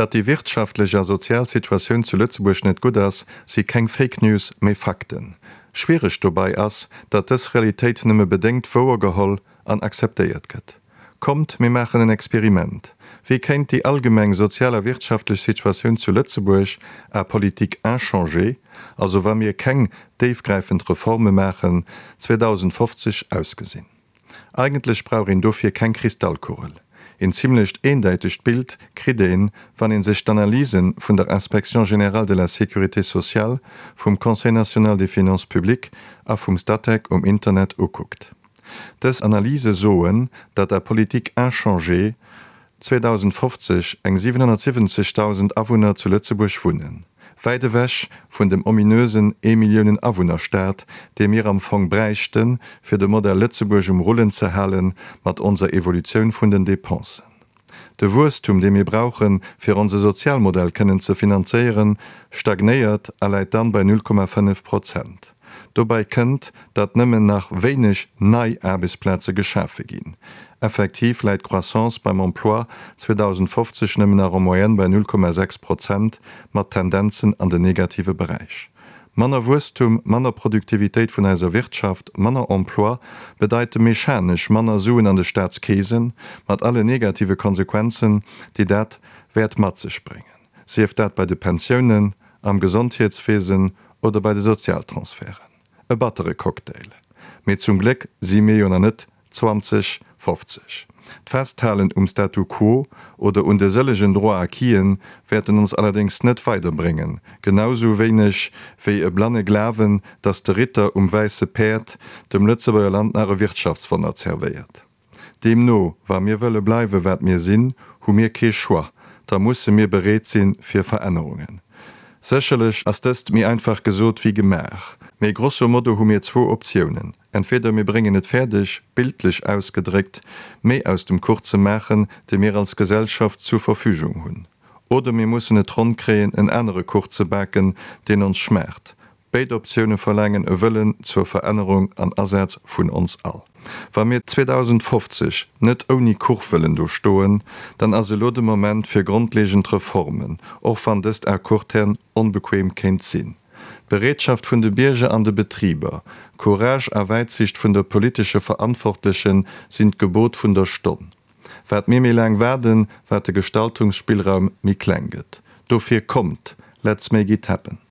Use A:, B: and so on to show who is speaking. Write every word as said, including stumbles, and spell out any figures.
A: Datt déi wirtschaftlech a sozial Situatioun zu Lëtzebuerg net gutt ass, si keng Fake News, mee Fakten. Schwiereg dobäi ass, datt dës Realitéit nëmme bedéngt wouergeholl an akzeptéiert gëtt. Kommt, mir maachen en Experiment. Wéi kéint déi allgemeng sozial a wirtschaftlech Situatioun zu Lëtzebuerg à politique inchangée, also wa mir keng déifgräifend Reforme maachen, zweedausendfofzeg ausgesinn? Eigentlech brauch een dofir keng Kristallkugel. Een zimlecht eendeitegt Bild kritt een, wann een sech d'Analyse vun der Inspection générale de la sécurité sociale, vum Conseil national des finances publiques a vum Statec um Internet ukuckt. Dës Analyse soen, datt à politique inchangée zweedausendfofzeg eng siwenhonnertsiwwenzegdausend Awunner zu Lëtzebuerg wunnen. Wäit ewech vun dem ominösen Ee-Milliounen-Awunner-Staat, dee mir am Fong bräichten, fir de Modell Lëtzebuerg um Rullen ze halen, mat onser Evolutioun vun den Dépensen. De Wuesstum, dee mir brauchen, fir onse Sozialmodell kënnen ze finanzéieren, stagnéiert a läit dann bei null Komma fënnef Prozent. Dobäi kënnt, datt nëmmen nach wéineg nei Aarbechtsplaze geschafe ginn. Effektiv läit d'Croissance beim Emploi zweedausendfofzeg nëmmen nach en moyenne bei null Komma sechs Prozent, mat Tendenzen an den negative Beräich. Manner Wuesstum, manner Produktivitéit vun eiser Wirtschaft, manner Emploi bedeite mechanesch manner Suen an de Staatskeesen, mat alle negative Konsequenzen, déi dat wäert mat sech bréngen, sief dat bei de Pensiounen, am Gesondheetswesen oder bei de Sozialtransferten. E battere Cocktail. Mee zum Gléck si mir jo nach net zwanzeg fofzeg. D'Festhalen um Statu quo oder un de sëllegen Droits acquisen wäerten ons allerdéngs net weiderbréngen, genau sou wéineg wéi e blanne Glawen, dass de Ritter um wäisse Päerd dem Lëtzebuerger Land nach e Wirtschaftswonner zerwéiert. Deemno, wa mir wëlle bleiwe wat mir sinn, hu mir kee Choix, da musse mir bereet si fir Verännerungen. Sécherlech ass dëst méi einfach gesot wéi gemaach, mee grosso modo hu mir zwou Optiounen, Entweder mir bréngen et fäerdeg, bildlech ausgedréckt, méi aus dem Kuch ze maachen, dee mir als Gesellschaft zur Verfügung hunn, oder mir mussen et ronn kréien, en anere Kuch ze baken, deen ons schmaacht. Béid Optioune verlaangen e Wëllen zur Verännerung an Asaz vun ons all. Wa mir zweedausendfofzeg net ouni Kuch wëllen do stoen, dann ass elo de Moment fir grondlegend Reformen, och wann dëst à court terme onbequem kéint sinn. D'Bereetschaft vun de Bierger an de Betriber, Courage a Wäitsicht vun de politesche Verantwortleche sinn d'Gebot vun der Stonn. Wat mir méi laang waarden, wat de Gestaltungsspillraum méi kleng gëtt. Dofir kommt, let's make it happen!